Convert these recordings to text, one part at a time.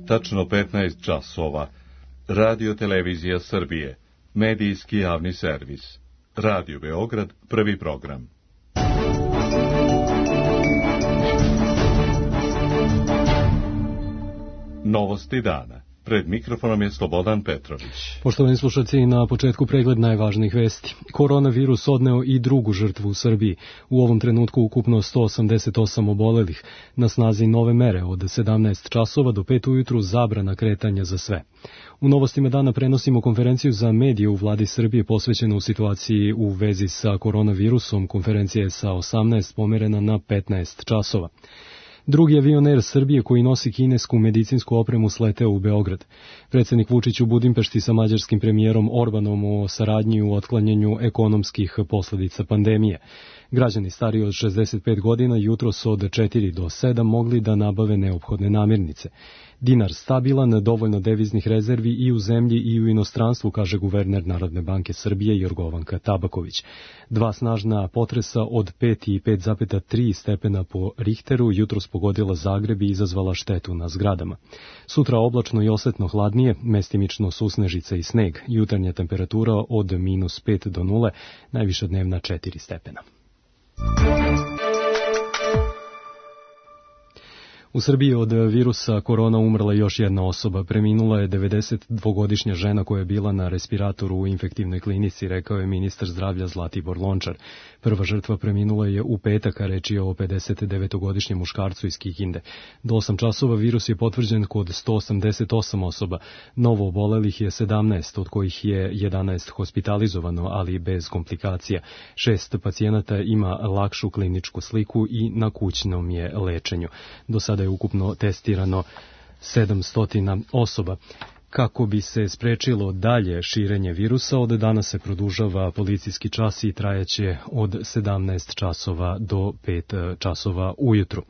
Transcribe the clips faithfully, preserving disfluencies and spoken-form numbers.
tačno petnaest časova. Radio Televizija Srbije, medijski javni servis. Radio Beograd, prvi program. Novosti dana. Pred mikrofonom je Slobodan Petrović. Poštovani slušalci, na početku pregled najvažnijih vesti. Koronavirus odneo i drugu žrtvu u Srbiji. U ovom trenutku ukupno sto osamdeset osam obolelih. Na snazi nove mere od sedamnaest časova do pet ujutru zabrana kretanja za sve. U novostima dana prenosimo konferenciju za medije u vladi Srbije posvećenu u situaciji u vezi sa koronavirusom. Konferencija je sa osamnaest pomerena na petnaest časova. Drugi avion Air Srbije koji nosi kinesku medicinsku opremu sleteo u Beograd. Predsjednik Vučić u Budimpešti sa mađarskim premijerom Orbanom o saradnji u otklanjanju ekonomskih posljedica pandemije. Građani stariji od šezdeset pet godina jutros od četiri do sedam mogli da nabave neophodne namirnice. Dinar stabilan, dovoljno deviznih rezervi i u zemlji i u inostranstvu, kaže guverner Narodne banke Srbije Jorgovanka Tabaković. Dva snažna potresa od pet i pet zarez tri stepena po Richteru jutros pogodila Zagreb i izazvala štetu na zgradama. Sutra oblačno i osetno hladnije, mestimično susnežica i sneg. Jutarnja temperatura od minus pet do nule, najviša dnevna četiri stepena. U Srbiji od virusa korona umrla još jedna osoba. Preminula je devedesetdvogodišnja žena koja je bila na respiratoru u infektivnoj klinici, rekao je ministar zdravlja Zlatibor Lončar. Prva žrtva preminula je u petak, a reč je o pedesetdevetogodišnjem muškarcu iz Kikinde. Do osam časova virus je potvrđen kod sto osamdeset osam osoba. Novo obolelih je sedamnaest, od kojih je jedanaest hospitalizovano, ali bez komplikacija. Šest pacijenata ima lakšu kliničku sliku i na kućnom je lečenju. Do sada je ukupno testirano sedamsto osoba. Kako bi se sprečilo dalje širenje virusa, od danas se produžava policijski čas i trajaće od sedamnaest časova do pet časova ujutru.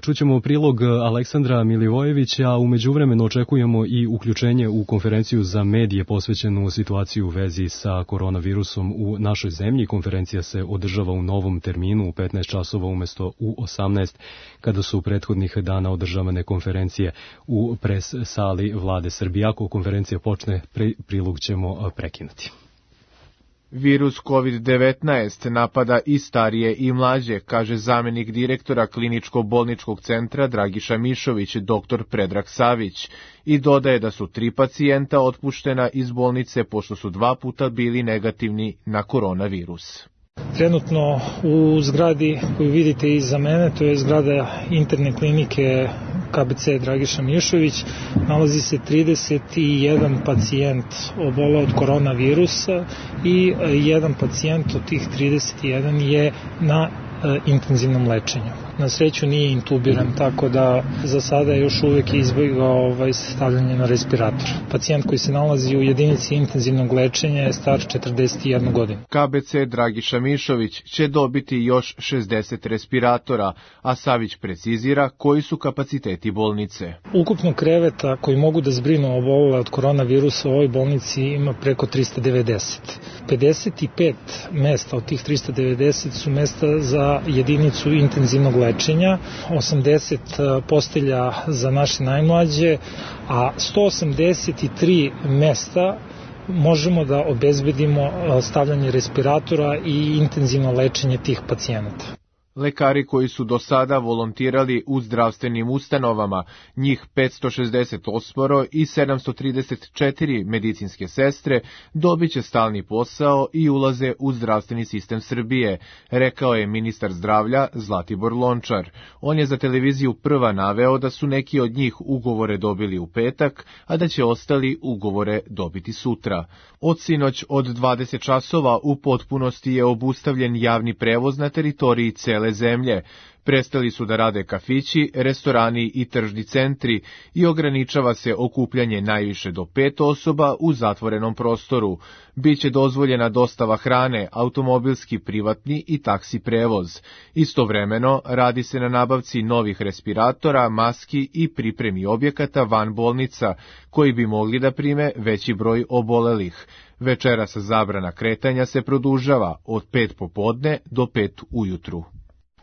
Čućemo prilog Aleksandra Milivojevića, a u međuvremenu očekujemo i uključenje u konferenciju za medije posvećenu situaciju u vezi sa koronavirusom u našoj zemlji. Konferencija se održava u novom terminu u petnaest časova umjesto u osamnaest, kada su prethodnih dana održavane konferencije u pres sali vlade Srbije. Ako konferencija počne, prilog ćemo prekinuti. Virus kovid devetnaest napada i starije i mlađe, kaže zamjenik direktora kliničko-bolničkog centra Dragiša Mišović, doktor Predrag Savić, i dodaje da su tri pacijenta otpuštena iz bolnice pošto su dva puta bili negativni na koronavirus. Trenutno u zgradi koju vidite iza mene, to je zgrada interne klinike K B C Dragiša Mišović, nalazi se trideset jedan pacijent oboleo od koronavirusa i jedan pacijent od tih trideset jedan je na intenzivnom lečenju. Na sreću nije intubiran, tako da za sada još uvijek izbjegao ovaj, stavljanje na respirator. Pacijent koji se nalazi u jedinici intenzivnog lečenja je star četrdeset jednu godinu. K B C Dragiša Mišović će dobiti još šezdeset respiratora, a Savić precizira koji su kapaciteti bolnice. Ukupno kreveta koji mogu da zbrinu obolele od koronavirusa u ovoj bolnici ima preko trista devedeset. pedeset pet mesta od tih trista devedeset su mesta za jedinicu intenzivnog lečenja, osamdeset postelja za naše najmlađe, a sto osamdeset tri mesta možemo da obezbedimo stavljanje respiratora i intenzivno lečenje tih pacijenata. Lekari koji su do sada volontirali u zdravstvenim ustanovama, njih petsto šezdeset osam i sedamsto trideset četiri medicinske sestre, dobit će stalni posao i ulaze u zdravstveni sistem Srbije, rekao je ministar zdravlja Zlatibor Lončar. On je za televiziju Prva naveo da su neki od njih ugovore dobili u petak, a da će ostali ugovore dobiti sutra. Od sinoć od dvadeset časova u potpunosti je obustavljen javni prevoz na teritoriji cele zemlje. Prestali su da rade kafići, restorani i tržni centri i ograničava se okupljanje najviše do pet osoba u zatvorenom prostoru. Biće dozvoljena dostava hrane, automobilski, privatni i taksi prevoz. Istovremeno radi se na nabavci novih respiratora, maski i pripremi objekata van bolnica, koji bi mogli da prime veći broj obolelih. Večeras zabrana kretanja se produžava od pet popodne do pet ujutru.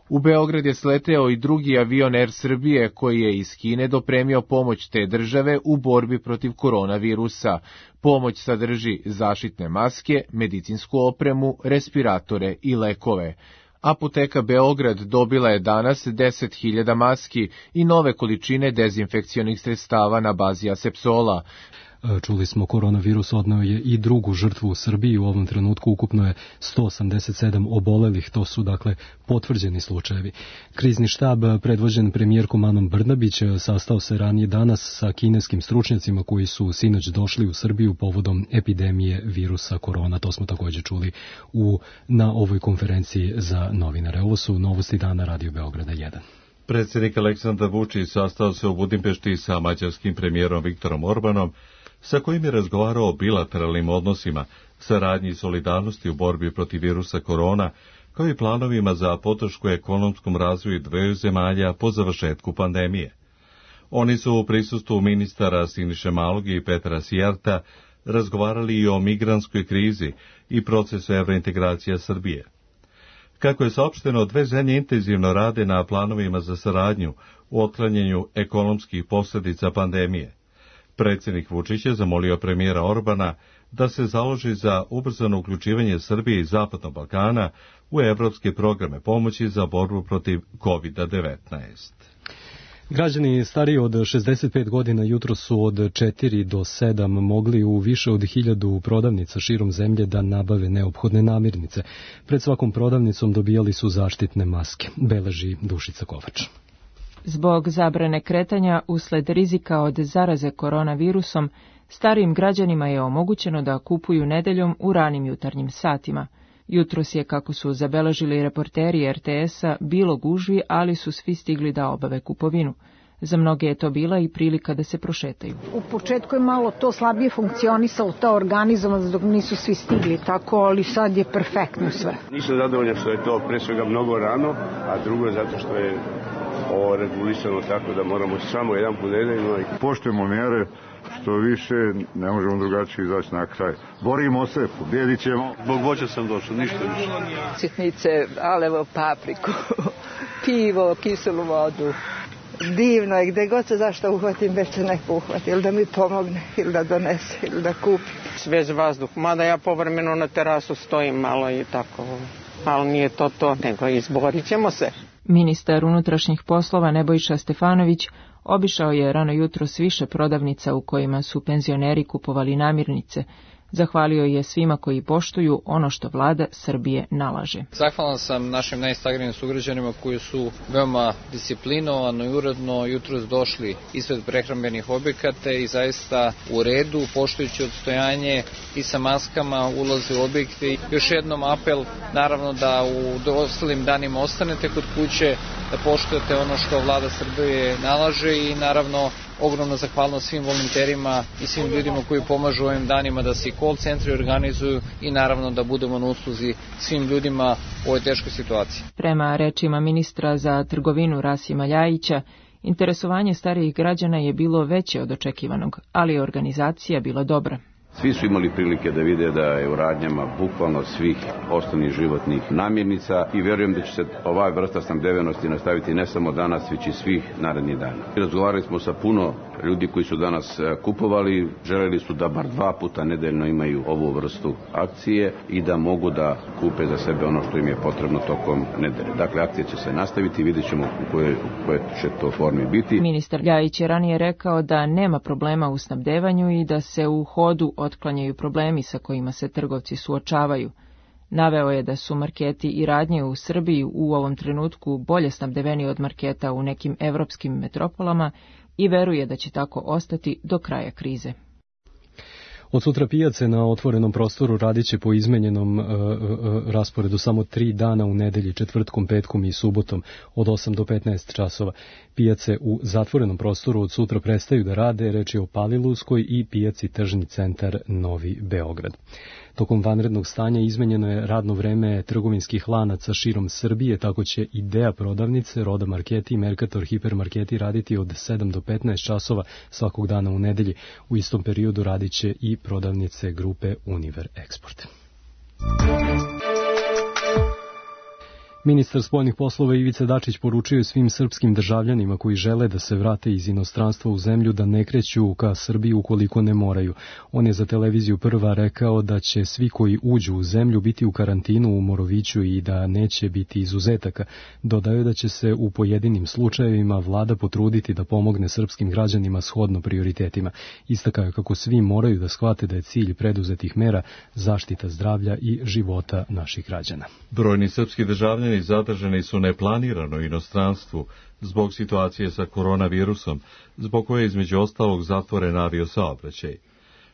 U Beograd je sleteo i drugi avion Air Srbije koji je iz Kine dopremio pomoć te države u borbi protiv koronavirusa. Pomoć sadrži zaštitne maske, medicinsku opremu, respiratore i lekove. Apoteka Beograd dobila je danas deset hiljada maski i nove količine dezinfekcionih sredstava na bazi asepsola. Čuli smo, koronavirus odneo je i drugu žrtvu u Srbiji. U ovom trenutku ukupno je sto osamdeset sedam obolelih, to su dakle potvrđeni slučajevi. Krizni štab predvođen premijerkom Anom Brnabić sastao se ranije danas sa kineskim stručnjacima koji su sinoć došli u Srbiju povodom epidemije virusa korona. To smo također čuli u, na ovoj konferenciji za novinare. Ovo su novosti dana Radio Beograda jedan. Predsjednik Aleksandar Vučić sastao se u Budimpešti sa mađarskim premijerom Viktorom Orbanom, sa kojim je razgovarao o bilateralnim odnosima, saradnji i solidarnosti u borbi protiv virusa korona, kao i planovima za podršku ekonomskom razvoju dveju zemalja po završetku pandemije. Oni su u prisustvu ministara Siniše Malog i Petra Sijarta razgovarali i o migrantskoj krizi i procesu evrointegracija Srbije. Kako je saopšteno, dve zemlje intenzivno rade na planovima za saradnju u otklanjanju ekonomskih posljedica pandemije. Predsjednik Vučić je zamolio premijera Orbana da se založi za ubrzano uključivanje Srbije i Zapadnog Balkana u evropske programe pomoći za borbu protiv kovid devetnaest. Građani stariji od šezdeset pet godina jutro su od četiri do sedam mogli u više od hiljadu prodavnica širom zemlje da nabave neophodne namirnice. Pred svakom prodavnicom dobijali su zaštitne maske, beleži Dušica Kovač. Zbog zabrane kretanja usled rizika od zaraze koronavirusom, starijim građanima je omogućeno da kupuju nedeljom u ranim jutarnjim satima. Jutros je, kako su zabeležili reporteri er te esa, bilo gužvi, ali su svi stigli da obave kupovinu. Za mnoge je to bila i prilika da se prošetaju. U početku je malo to slabije funkcionisalo, ta organizovanost dok nisu svi stigli tako, ali sad je perfektno sve. Nisam zadovoljan što je to pre svega mnogo rano, a drugo je zato što je ovo regulisano tako da moramo samo jedan put nedeljno. Poštujemo mjere, što više ne možemo drugačije izaći na kraj. Borimo se, pobjedit ćemo. Zbog voća sam došao, ništa više. Sitnice, alevo, papriku, pivo, kiselu vodu. Divno je, gde god se zašto uhvatim, već se neko uhvati, ili da mi pomogne, ili da donese, ili da kupi. Svež vazduh, mada ja povremeno na terasu stojim malo i tako, ali nije to to, nego izborit ćemo se. Ministar unutrašnjih poslova Nebojša Stefanović obišao je rano jutros više prodavnica u kojima su penzioneri kupovali namirnice. Zahvalio je svima koji poštuju ono što vlada Srbije nalaže. Zahvalan sam našim najstarijim sugrađanima koji su veoma disciplinovano i uredno jutros došli ispred prehrambenih objekata i zaista u redu, poštujući odstojanje i sa maskama ulaze u objekte. Još jednom apel, naravno, da u ostalim danima ostanete kod kuće, da poštujete ono što vlada Srbije nalaže i naravno ogromna zahvalnost svim volonterima i svim ljudima koji pomažu ovim danima da se i call centri organizuju i naravno da budemo na usluzi svim ljudima u ovoj teškoj situaciji. Prema rečima ministra za trgovinu Rasima Ljajića, interesovanje starijih građana je bilo veće od očekivanog, ali je organizacija bila dobra. Svi su imali prilike da vide da je u radnjama bukvalno svih osnovnih životnih namirnica i vjerujem da će se ova vrsta snabdevenosti nastaviti ne samo danas, već i svih narednih dana. Razgovarali smo sa puno ljudi koji su danas kupovali, želeli su da bar dva puta nedeljno imaju ovu vrstu akcije i da mogu da kupe za sebe ono što im je potrebno tokom nedelje. Dakle, akcija će se nastaviti i vidjet ćemo u koje, u koje će to formi biti. Ministar Ljajić je ranije rekao da nema problema u snabdevanju i da se u hodu otklanjaju problemi sa kojima se trgovci suočavaju. Naveo je da su marketi i radnje u Srbiji u ovom trenutku bolje snabdeveni od marketa u nekim evropskim metropolama i veruje da će tako ostati do kraja krize. Od sutra pijace na otvorenom prostoru radit će po izmenjenom e, e, rasporedu samo tri dana u nedelji, četvrtkom, petkom i subotom od osam do petnaest časova. Pijace u zatvorenom prostoru od sutra prestaju da rade, reč je o Paliluskoj i pijaci Tržni centar Novi Beograd. Tokom vanrednog stanja izmenjeno je radno vreme trgovinskih lanaca širom Srbije, tako će Idea prodavnice, Roda marketi i Mercator hipermarketi raditi od sedam do petnaest časova svakog dana u nedelji. U istom periodu radit će i prodavnice grupe Univer Export. Ministar spoljnih poslova Ivica Dačić poručio je svim srpskim državljanima koji žele da se vrate iz inostranstva u zemlju da ne kreću ka Srbiji ukoliko ne moraju. On je za televiziju Prva rekao da će svi koji uđu u zemlju biti u karantinu u Moroviću i da neće biti izuzetaka. Dodao je da će se u pojedinim slučajevima vlada potruditi da pomogne srpskim građanima shodno prioritetima. Istakao je kako svi moraju da shvate da je cilj preduzetih mera zaštita zdravlja i života naših građana. Brojni srpski državljani zadržani su neplanirano u inostranstvu zbog situacije sa koronavirusom, zbog koje je između ostalog zatvoren aviosaobraćaj.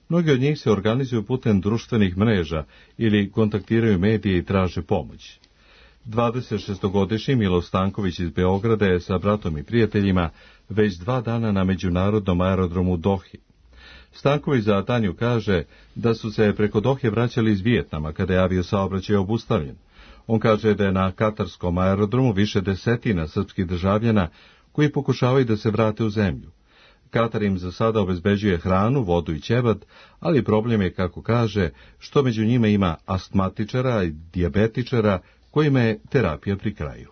Mnogi od njih se organizuju putem društvenih mreža ili kontaktiraju medije i traže pomoć. dvadesetšestogodišnji Milo Stanković iz Beograda je sa bratom i prijateljima već dva dana na međunarodnom aerodromu Dohi. Stanković za Tanju kaže da su se preko Dohe vraćali iz Vijetnama kada je aviosaobraćaj obustavljen. On kaže da je na katarskom aerodromu više desetina srpskih državljana koji pokušavaju da se vrate u zemlju. Katar im za sada obezbeđuje hranu, vodu i ćebat, ali problem je, kako kaže, što među njima ima astmatičara i dijabetičara kojima je terapija pri kraju.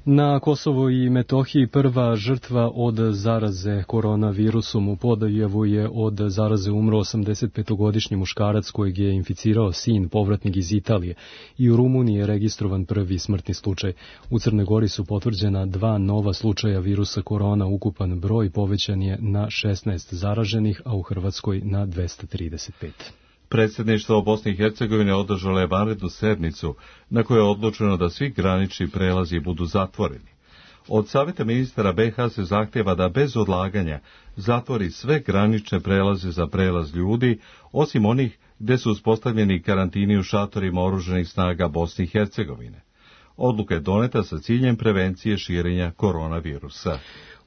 Na Kosovo i Metohiji prva žrtva od zaraze koronavirusom u Podajevu je od zaraze umro osamdesetpetogodišnji muškarac kojeg je inficirao sin, povratnik iz Italije. I u Rumuniji je registrovan prvi smrtni slučaj. U Crnoj Gori su potvrđena dva nova slučaja virusa korona, ukupan broj povećan je na šesnaest zaraženih, a u Hrvatskoj na dvesta trideset pet. Predsjedništvo Bosne i Hercegovine održalo je vanrednu sednicu na kojoj je odlučeno da svi granični prelazi budu zatvoreni. Od Saveta ministara be ha se zahtjeva da bez odlaganja zatvori sve granične prelaze za prelaz ljudi, osim onih gdje su uspostavljeni karantini u šatorima oružanih snaga Bosne i Hercegovine. Odluka je doneta sa ciljem prevencije širenja koronavirusa.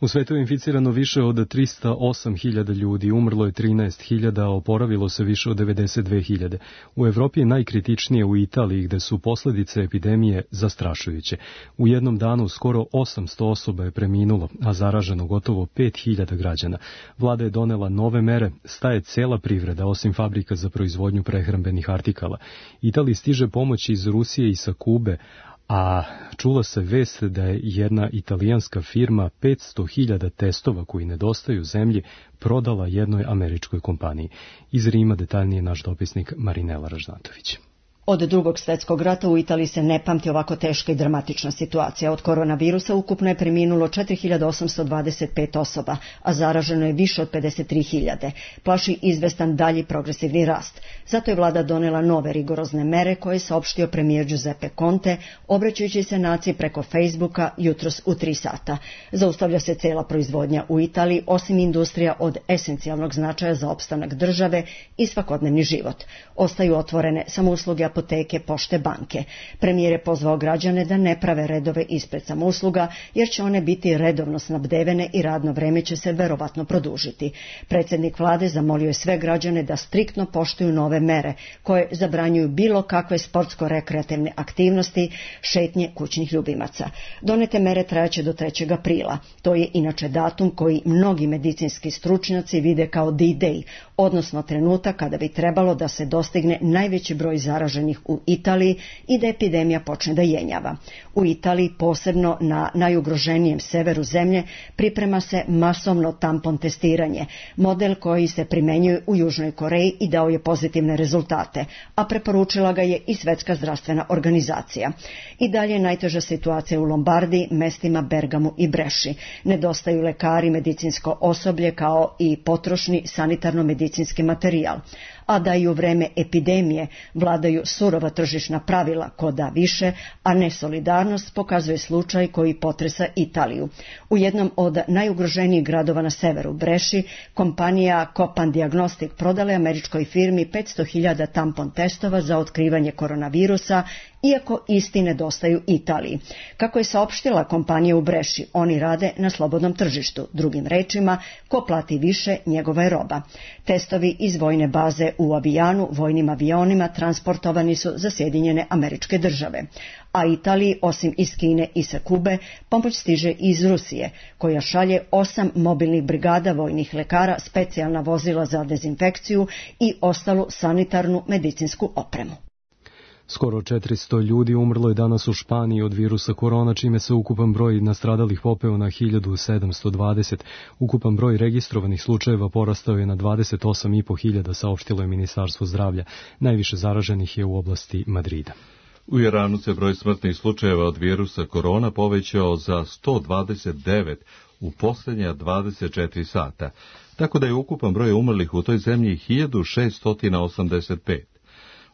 U svetu je inficirano više od trista osam hiljada ljudi, umrlo je trinaest hiljada, a oporavilo se više od devedeset dve hiljade. U Evropi je najkritičnije u Italiji, gde su posljedice epidemije zastrašujuće. U jednom danu skoro osamsto osoba je preminulo, a zaraženo gotovo pet hiljada građana. Vlada je donela nove mere, staje cela privreda, osim fabrika za proizvodnju prehrambenih artikala. Italiji stiže pomoć iz Rusije i sa Kube, a čula se vest da je jedna italijanska firma petsto hiljada testova koji nedostaju zemlji prodala jednoj američkoj kompaniji. Iz Rima detaljnije naš dopisnik Marinela Ražnatović. Od drugog svjetskog rata u Italiji se ne pamti ovako teška i dramatična situacija. Od koronavirusa ukupno je preminulo četiri hiljade osamsto dvadeset pet osoba, a zaraženo je više od pedeset tri hiljade. Plaši izvestan dalji progresivni rast. Zato je vlada donela nove rigorozne mere koje je saopštio premijer Giuseppe Conte, obraćajući se naciji preko Facebooka jutros u tri sata. Zaustavlja se cela proizvodnja u Italiji, osim industrija od esencijalnog značaja za opstanak države i svakodnevni život. Ostaju otvorene samo usluge apoteke, pošte, banke. Premijer je pozvao građane da ne prave redove ispred samousluga, jer će one biti redovno snabdevene i radno vreme će se verovatno produžiti. Predsjednik vlade zamolio je sve građane da striktno poštuju nove mere, koje zabranjuju bilo kakve sportsko-rekreativne aktivnosti, šetnje kućnih ljubimaca. Donete mere trajaće do trećeg aprila. To je inače datum koji mnogi medicinski stručnjaci vide kao D-Day, odnosno trenutak kada bi trebalo da se dostigne najveći broj zaraženih u Italiji i da epidemija počne da jenjava. U Italiji, posebno na najugroženijem severu zemlje, priprema se masovno tampon testiranje, model koji se primenjuje u Južnoj Koreji i dao je pozitivne rezultate, a preporučila ga je i Svjetska zdravstvena organizacija. I dalje je najteža situacija u Lombardiji, mestima Bergamu i Breši. Nedostaju lekari, medicinsko osoblje kao i potrošni sanitarno-medicinski materijal. A da i u vreme epidemije vladaju surova tržišna pravila, ko da više, a ne solidarnost, pokazuje slučaj koji potresa Italiju. U jednom od najugroženijih gradova na severu, Breši, kompanija Copan Diagnostic prodala je američkoj firmi petsto hiljada tampon testova za otkrivanje koronavirusa, iako isti nedostaju Italiji. Kako je saopštila kompanija u Breši, oni rade na slobodnom tržištu. Drugim rečima, ko plati više, njegova je roba. Testovi iz vojne baze u Avijanu vojnim avionima transportovani su za Sjedinjene Američke Države. A Italiji, osim iz Kine i sa Kube, pomoć stiže iz Rusije, koja šalje osam mobilnih brigada vojnih lekara, specijalna vozila za dezinfekciju i ostalu sanitarnu medicinsku opremu. Skoro četiristo ljudi umrlo je danas u Španiji od virusa korona, čime se ukupan broj nastradalih popeo na hiljadu sedamsto dvadeset. Ukupan broj registrovanih slučajeva porastao je na dvadeset osam i po hiljada, saopštilo je Ministarstvo zdravlja. Najviše zaraženih je u oblasti Madrida. U Iranu se broj smrtnih slučajeva od virusa korona povećao za sto dvadeset devet u posljednja dvadeset četiri sata, tako da je ukupan broj umrlih u toj zemlji hiljadu šeststo osamdeset pet.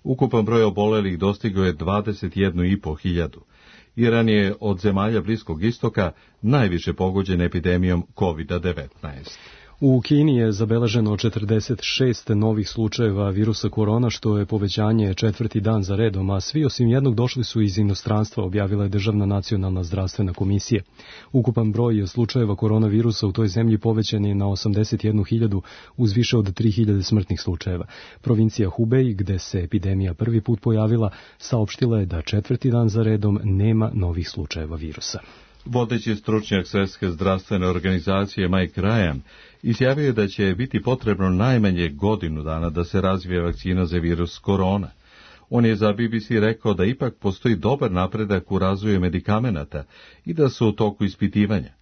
Ukupan broj obolelih dostigao je dvadeset jednu i po hiljadu. Iran je od zemalja Bliskog istoka najviše pogođen epidemijom kovid devetnaest. U Kini je zabeleženo četrdeset šest novih slučajeva virusa korona, što je povećanje četvrti dan za redom, a svi osim jednog došli su iz inostranstva, objavila je Državna nacionalna zdravstvena komisija. Ukupan broj slučajeva koronavirusa u toj zemlji povećan je na osamdeset jednu hiljadu uz više od tri hiljade smrtnih slučajeva. Provincija Hubei, gde se epidemija prvi put pojavila, saopštila je da četvrti dan za redom nema novih slučajeva virusa. Vodeći stručnjak Svjetske zdravstvene organizacije Mike Ryan izjavio je da će biti potrebno najmanje godinu dana da se razvije vakcina za virus korona. On je za B B C rekao da ipak postoji dobar napredak u razvoju medikamenata i da su u toku ispitivanja.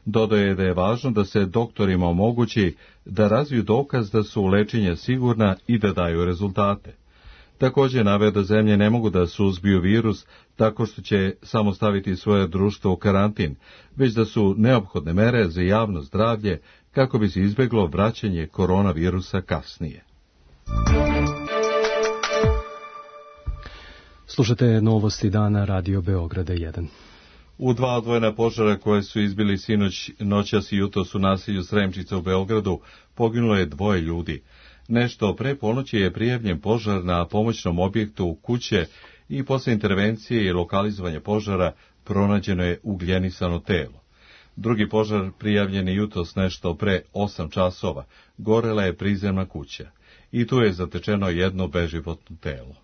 Dodao je da je važno da se doktorima omogući da razviju dokaz da su lečenja sigurna i da daju rezultate. Također naveo da zemlje ne mogu da suzbiju virus tako što će samo staviti svoje društvo u karantin, već da su neophodne mere za javno zdravlje kako bi se izbjeglo vraćanje koronavirusa kasnije. Slušate novosti dana Radio Beograda jedan. U dva odvojena požara koje su izbili sinoć, noćas i jutros u naselju Sremčica u Beogradu poginulo je dvoje ljudi. Nešto pre ponoći je prijavljen požar na pomoćnom objektu kuće i posle intervencije i lokalizovanja požara pronađeno je ugljenisano telo. Drugi požar prijavljen je jutros nešto pre osam časova. Gorela je prizemna kuća i tu je zatečeno jedno beživotno telo.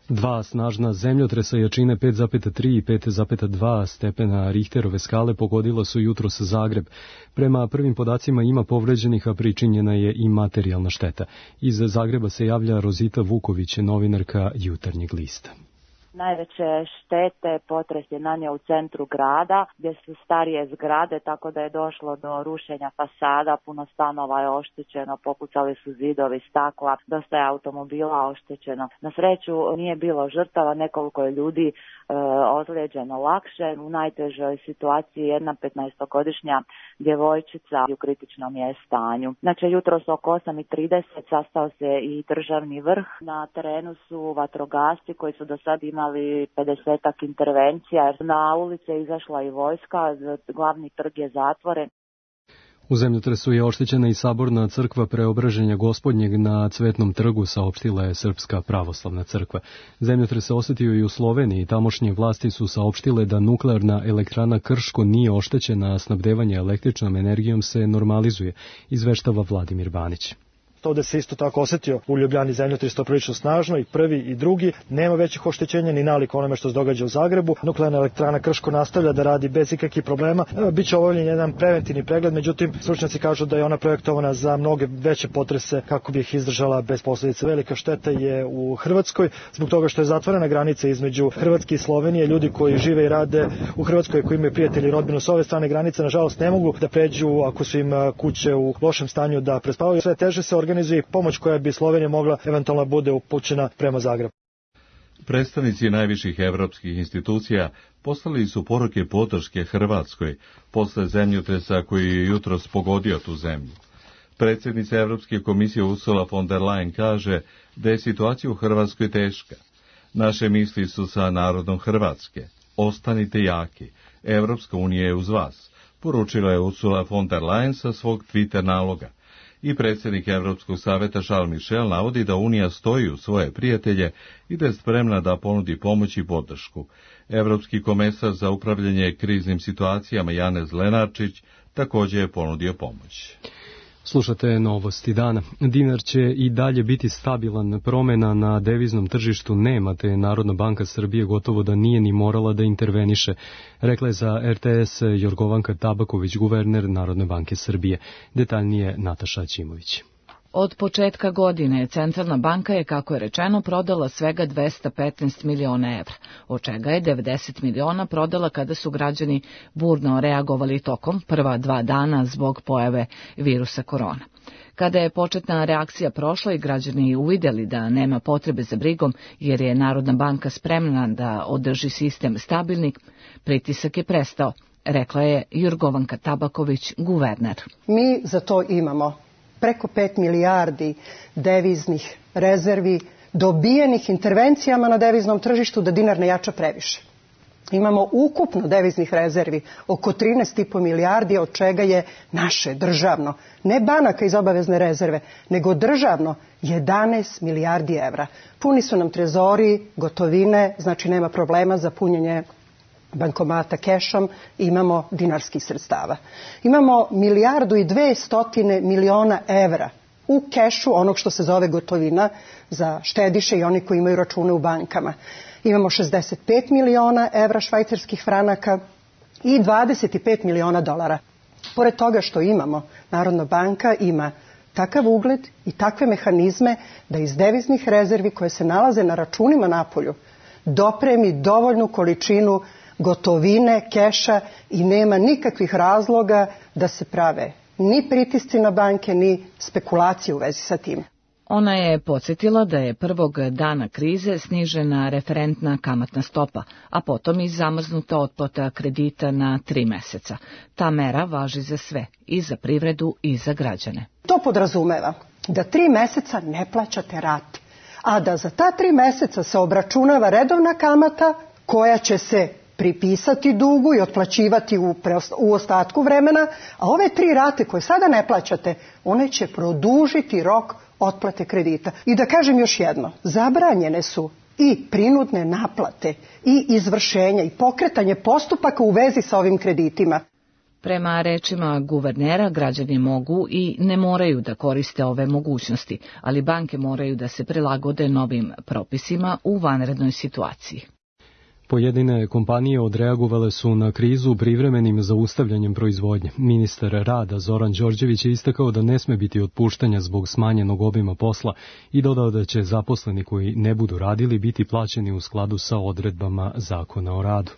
Dva snažna zemljotresa jačine pet zarez tri i pet zarez dva stepena Richterove skale pogodila su jutros Zagreb. Prema prvim podacima ima povređenih, a pričinjena je i materijalna šteta. Iz Zagreba se javlja Rozita Vuković, novinarka Jutarnjeg lista. Najveće štete potres je nanio u centru grada, gdje su starije zgrade, tako da je došlo do rušenja fasada, puno stanova je oštećeno, popucali su zidovi, stakla, dosta je automobila oštećeno. Na sreću nije bilo žrtava, nekoliko je ljudi e, ozlijeđeno lakše. U najtežoj situaciji jedna petnaestogodišnja djevojčica u kritičnom je stanju. Znači, jutros oko osam i trideset sastao se i državni vrh. Na terenu su vatrogasci koji su do sad imali imali pedesetak intervencija. Na ulice je izašla i vojska, glavni trg je zatvoren. U zemljotresu je oštećena i saborna crkva Preobraženja Gospodnjeg na Cvetnom trgu, saopštila je Srpska pravoslavna crkva. Zemljotres se osjetio i u Sloveniji. Tamošnje vlasti su saopštile da nuklearna elektrana Krško nije oštećena, a snabdevanje električnom energijom se normalizuje, izveštava Vladimir Banić. Ovde se isto tako osjetio u Ljubljani zemljotres to prilično snažno, i prvi i drugi. Nema većih oštećenja ni nalik onome što se događa u Zagrebu. Nuklearna elektrana Krško nastavlja da radi bez ikakvih problema. Biće obavljen jedan preventivni pregled, međutim stručnjaci kažu da je ona projektovana za mnoge veće potrese kako bi ih izdržala bez posljedica. Velika šteta je u Hrvatskoj zbog toga što je zatvorena granica između Hrvatske i Slovenije. Ljudi koji žive i rade u Hrvatskoj, koji imaju prijatelji i rodbinu s ove strane granice, nažalost ne mogu da pređu ako su im kuće u lošem stanju da prespavaju. Sve teže se organizuje pomoć koja bi Slovenija mogla eventualno bude upućena prema Zagrebu. Predstavnici najviših evropskih institucija poslali su poruke podrške Hrvatskoj posle zemljotresa koji je jutros pogodio tu zemlju. Predsjednica Evropske komisije Ursula von der Leyen kaže da je situacija u Hrvatskoj teška. Naše misli su sa narodom Hrvatske. Ostanite jaki. Evropska unija je uz vas, poručila je Ursula von der Leyen sa svog Twitter naloga. I predsjednik Evropskog saveta Charles Michel navodi da Unija stoji uz svoje prijatelje i da je spremna da ponudi pomoć i podršku. Evropski komesar za upravljanje kriznim situacijama Janez Lenarčić također je ponudio pomoć. Slušate novosti dana. Dinar će i dalje biti stabilan, promjena na deviznom tržištu nema, te Narodna banka Srbije gotovo da nije ni morala da interveniše, rekla je za R T S Jorgovanka Tabaković, guverner Narodne banke Srbije. Detaljnije Nataša Ćimović. Od početka godine Centralna banka je, kako je rečeno, prodala svega dvesta petnaest miliona evra, od čega je devedeset miliona prodala kada su građani burno reagovali tokom prva dva dana zbog pojave virusa korona. Kada je početna reakcija prošla i građani uvidjeli da nema potrebe za brigom jer je Narodna banka spremna da održi sistem stabilnim, pritisak je prestao, rekla je Jorgovanka Tabaković, guverner. Mi za to imamo preko pet milijardi deviznih rezervi dobijenih intervencijama na deviznom tržištu da dinar ne jača previše. Imamo ukupno deviznih rezervi oko trinaest i po milijardi, od čega je naše državno, ne banaka iz obavezne rezerve, nego državno jedanaest milijardi evra. Puni su nam trezori, gotovine, znači nema problema za punjenje bankomata kešom, imamo dinarskih sredstava. Imamo milijardu i dve stotine miliona evra u kešu, onog što se zove gotovina, za štediše i oni koji imaju račune u bankama. Imamo šezdeset pet miliona evra švajcarskih franaka i dvadeset pet miliona dolara. Pored toga što imamo, Narodna banka ima takav ugled i takve mehanizme da iz deviznih rezervi koje se nalaze na računima napolju dopremi dovoljnu količinu gotovine, keša i nema nikakvih razloga da se prave ni pritisci na banke, ni spekulacije u vezi sa tim. Ona je podsjetila da je prvog dana krize snižena referentna kamatna stopa, a potom i zamrznuta otplata kredita na tri meseca. Ta mera važi za sve, i za privredu i za građane. To podrazumeva da tri meseca ne plaćate rate, a da za ta tri meseca se obračunava redovna kamata koja će se pripisati dugu i otplaćivati u, u ostatku vremena, a ove tri rate koje sada ne plaćate, one će produžiti rok otplate kredita. I da kažem još jedno, zabranjene su i prinudne naplate i izvršenja i pokretanje postupaka u vezi sa ovim kreditima. Prema rečima guvernera, građani mogu i ne moraju da koriste ove mogućnosti, ali banke moraju da se prilagode novim propisima u vanrednoj situaciji. Pojedine kompanije odreagovale su na krizu privremenim zaustavljanjem proizvodnje. Ministar rada Zoran Đorđević je istakao da ne sme biti otpuštanja zbog smanjenog obima posla i dodao da će zaposleni koji ne budu radili biti plaćeni u skladu sa odredbama Zakona o radu.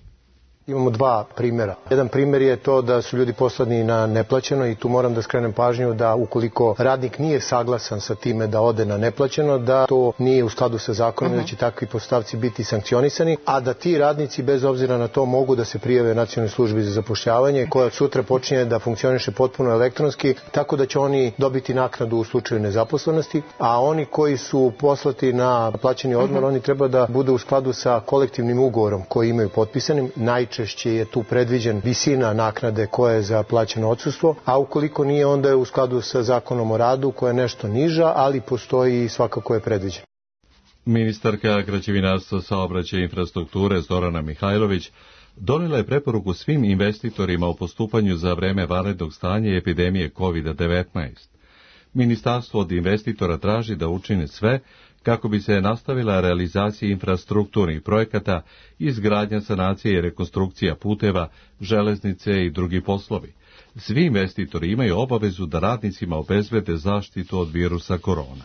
Imamo dva primjera. Jedan primjer je to da su ljudi poslani na neplaćeno i tu moram da skrenem pažnju da ukoliko radnik nije saglasan sa time da ode na neplaćeno, da to nije u skladu sa zakonom uh-huh. da će takvi poslodavci biti sankcionisani, a da ti radnici bez obzira na to mogu da se prijave Nacionalnoj službi za zapošljavanje koja od sutra počinje da funkcioniše potpuno elektronski, tako da će oni dobiti naknadu u slučaju nezaposlenosti, a oni koji su poslati na plaćeni odmor, uh-huh. oni treba da budu u skladu sa kolektivnim ugovorom koji imaju potpisanim. Najčešće je tu predviđen visina naknade koja je za plaćeno odsustvo, a ukoliko nije, onda je u skladu sa Zakonom o radu koja je nešto niža, ali postoji i svakako je predviđen. Ministarka građevinarstva, saobraćaja i infrastrukture Zorana Mihajlović donijela je preporuku svim investitorima o postupanju za vreme vanrednog stanja i epidemije kovid devetnaest. Ministarstvo od investitora traži da učine sve kako bi se nastavila realizacija infrastrukturnih projekata, izgradnja, sanacije i rekonstrukcija puteva, železnice i drugi poslovi. Svi investitori imaju obavezu da radnicima obezbede zaštitu od virusa korona.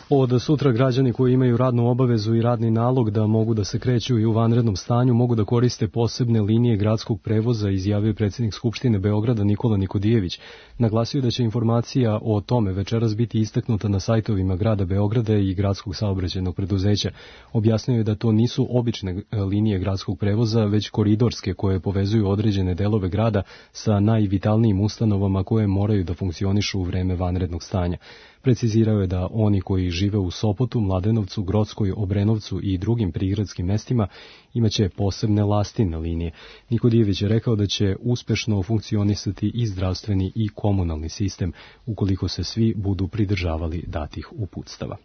Od sutra građani koji imaju radnu obavezu i radni nalog da mogu da se kreću i u vanrednom stanju mogu da koriste posebne linije gradskog prevoza, izjavio predsjednik Skupštine Beograda Nikola Nikodijević. Naglasio da će informacija o tome večeras biti istaknuta na sajtovima grada Beograda i gradskog saobraćajnog preduzeća. Objasnio je da to nisu obične linije gradskog prevoza, već koridorske koje povezuju određene delove grada sa najvitalnijim ustanovama koje moraju da funkcionišu u vreme vanrednog stanja. Precizirao je da oni koji žive u Sopotu, Mladenovcu, Grockoj, Obrenovcu i drugim prigradskim mestima imaće posebne lastine linije. Nikodijević je rekao da će uspešno funkcionisati i zdravstveni i komunalni sistem ukoliko se svi budu pridržavali datih uputstava.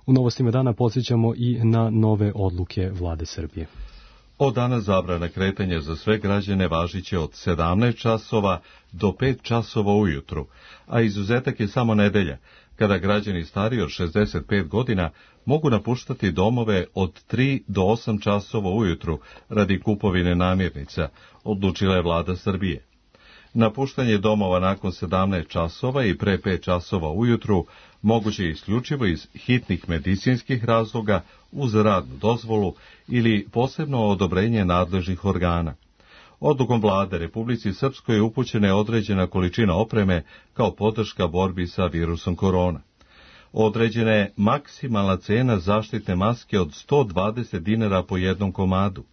U novostima dana podsjećamo i na nove odluke Vlade Srbije. Od dana zabrana kretanja za sve građane važiće od sedamnaest časova do pet časova ujutru, a izuzetak je samo nedelja, kada građani stariji od šezdeset pet godina mogu napuštati domove od tri do osam časova ujutru radi kupovine namirnica, odlučila je Vlada Srbije. Napuštanje domova nakon sedamnaest časova i pre pet časova ujutru moguće je isključivo iz hitnih medicinskih razloga uz radnu dozvolu ili posebno odobrenje nadležnih organa. Odlukom vlade Republici Srpskoj je upućena određena količina opreme kao podrška borbi sa virusom korona. Određena je maksimalna cena zaštitne maske od sto dvadeset dinara po jednom komadu.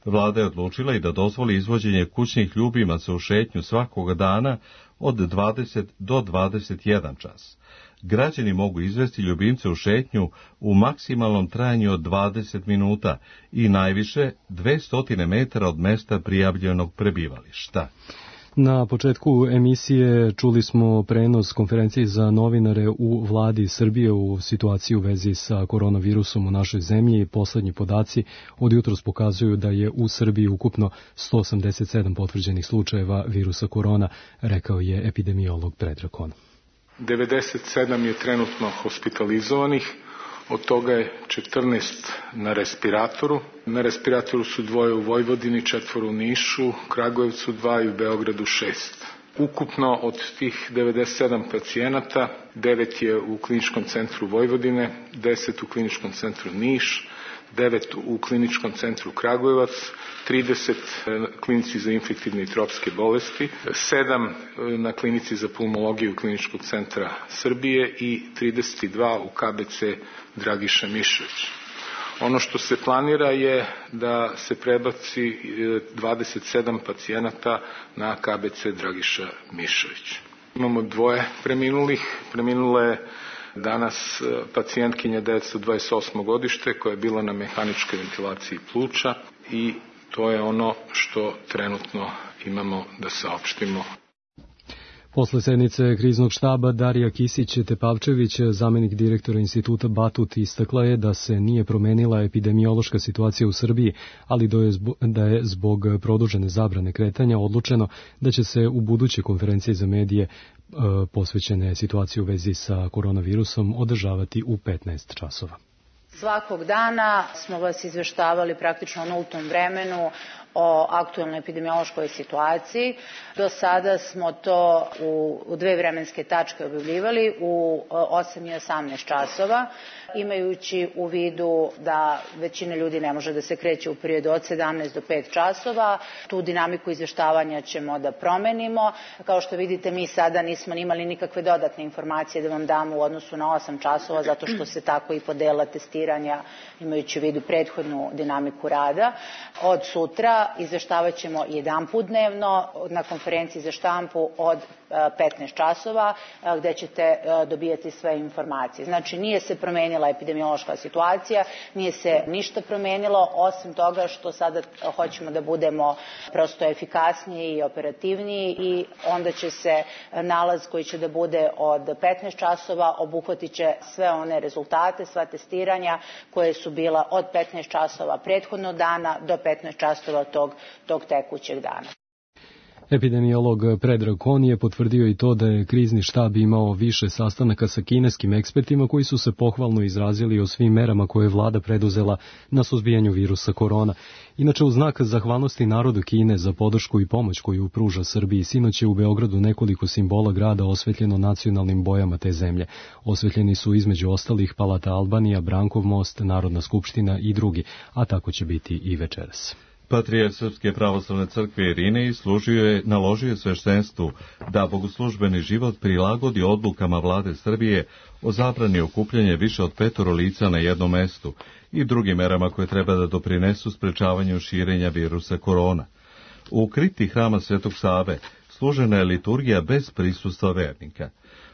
Vlada je odlučila i da dozvoli izvođenje kućnih ljubimaca u šetnju svakoga dana od dvadeset do dvadeset jedan čas. Građani mogu izvesti ljubimce u šetnju u maksimalnom trajanju od dvadeset minuta i najviše dvesta metara od mesta prijavljenog prebivališta. Na početku emisije čuli smo prenos konferencije za novinare u vladi Srbije u situaciji u vezi sa koronavirusom u našoj zemlji. Poslednji podaci od jutros pokazuju da je u Srbiji ukupno sto osamdeset sedam potvrđenih slučajeva virusa korona, rekao je epidemiolog Predrag Kon. devedeset sedam je trenutno hospitalizovanih, od toga je četrnaest na respiratoru. Na respiratoru su dvoje u Vojvodini, četvoro u Nišu, Kragujevcu dva i u Beogradu šest. Ukupno od tih devedeset sedam pacijenata, devet je u Kliničkom centru Vojvodine, deset u Kliničkom centru Niš, devet u Kliničkom centru Kragujevac, trideset na klinici za infektivne i tropske bolesti, sedam na klinici za pulmologiju Kliničkog centra Srbije i trideset dva u K B C Dragiša Mišović. Ono što se planira je da se prebaci dvadeset sedam pacijenata na K B C Dragiša Mišović. Imamo dvoje preminulih. Preminula je danas pacijentkinja devetsto dvadeset osmo godište koja je bila na mehaničkoj ventilaciji pluća i to je ono što trenutno imamo da saopštimo. Posle sednice kriznog štaba Darija Kisić-Tepavčević, zamenik direktora instituta Batut, istakla je da se nije promenila epidemiološka situacija u Srbiji, ali da je zbog produžene zabrane kretanja odlučeno da će se u buduće konferencije za medije posvećene situaciji u vezi sa koronavirusom održavati u petnaest časova. Svakog dana smo vas izveštavali praktično u nultom vremenu o aktuelnoj epidemiološkoj situaciji. Do sada smo to u, u dve vremenske tačke objavljivali u osam i osamnaest časova, imajući u vidu da većina ljudi ne može da se kreće u periodu od sedamnaest do pet časova. Tu dinamiku izveštavanja ćemo da promenimo. Kao što vidite, mi sada nismo imali nikakve dodatne informacije da vam damo u odnosu na osam časova, zato što se tako i podela testiranja, imajući u vidu prethodnu dinamiku rada. Od sutra izveštavat ćemo jedan put dnevno na konferenciji za štampu od petnaest časova, gde ćete dobijati sve informacije. Znači, nije se promenila epidemiološka situacija, nije se ništa promenilo, osim toga što sada hoćemo da budemo prosto efikasniji i operativniji i onda će se nalaz koji će da bude od petnaest časova obuhvatit će sve one rezultate, sva testiranja koje su bila od petnaest časova prethodnog dana do petnaest časova tog, tog tekućeg dana. Epidemiolog Predrag Kon je potvrdio i to da je krizni štab imao više sastanaka sa kineskim ekspertima koji su se pohvalno izrazili o svim merama koje je vlada preduzela na suzbijanju virusa korona. Inače, u znak zahvalnosti narodu Kine za podršku i pomoć koju pruža Srbiji, sinoć je u Beogradu nekoliko simbola grada osvetljeno nacionalnim bojama te zemlje. Osvetljeni su između ostalih Palata Albanija, Brankov most, Narodna skupština i drugi, a tako će biti i večeras. Patrijarh Srpske pravoslavne crkve Irinej služio je, naložio je sveštenstvu da bogoslužbeni život prilagodi odlukama vlade Srbije o zabrani okupljanja više od petoro lica na jednom mestu i drugim merama koje treba da doprinesu sprečavanju širenja virusa korona. U kripti hrama Svetog Save služena je liturgija bez prisustva vernika.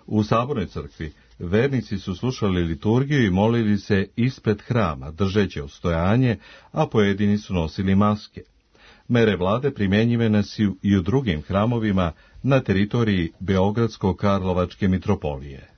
U Sabornoj crkvi vernici su slušali liturgiju i molili se ispred hrama, držeći odstojanje, a pojedini su nosili maske. Mere vlade primjenjivane su i u drugim hramovima na teritoriji Beogradsko-Karlovačke mitropolije.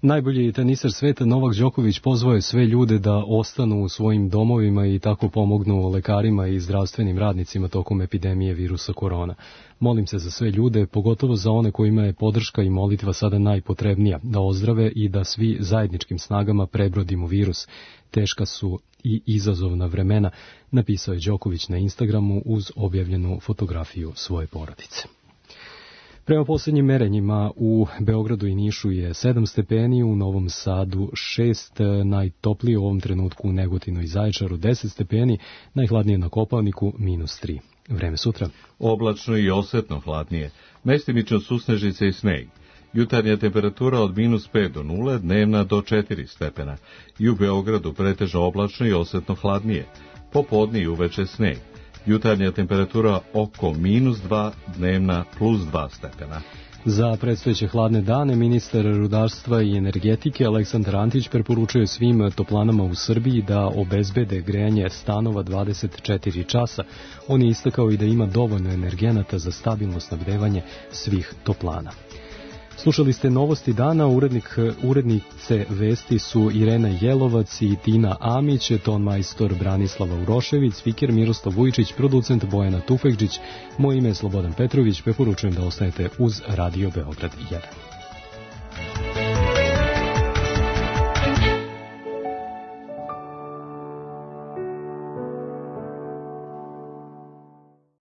Najbolji tenisar sveta Novak Đoković pozvao je sve ljude da ostanu u svojim domovima i tako pomognu lekarima i zdravstvenim radnicima tokom epidemije virusa korona. Molim se za sve ljude, pogotovo za one kojima je podrška i molitva sada najpotrebnija, da ozdrave i da svi zajedničkim snagama prebrodimo virus. Teška su i izazovna vremena, napisao je Đoković na Instagramu uz objavljenu fotografiju svoje porodice. Prema posljednjim merenjima u Beogradu i Nišu je sedam stepeni, u Novom Sadu šest, najtoplije u ovom trenutku u Negotinu i Zaječaru deset stepeni, najhladnije na Kopaoniku minus tri. Vreme sutra. Oblačno i osetno hladnije, mestimično susnežice i sneg. Jutarnja temperatura od minus pet do nule, dnevna do četiri stepena. I u Beogradu pretežno oblačno i osetno hladnije. Popodne i uveče sneg. Jutarnja temperatura oko minus dva, dnevna plus dva stepena. Za predstojeće hladne dane ministar rudarstva i energetike Aleksandar Antić preporučuje svim toplanama u Srbiji da obezbede grejanje stanova dvadeset četiri časa. On je istakao i da ima dovoljno energenata za stabilno snabdevanje svih toplana. Slušali ste novosti dana, urednik, urednice vesti su Irena Jelovac i Tina Amić, ton majstor Branislava Urošević, spiker Miroslav Vujčić, producent Bojana Tufekđić. Moje ime je Slobodan Petrović, preporučujem da ostanete uz Radio Beograd jedan.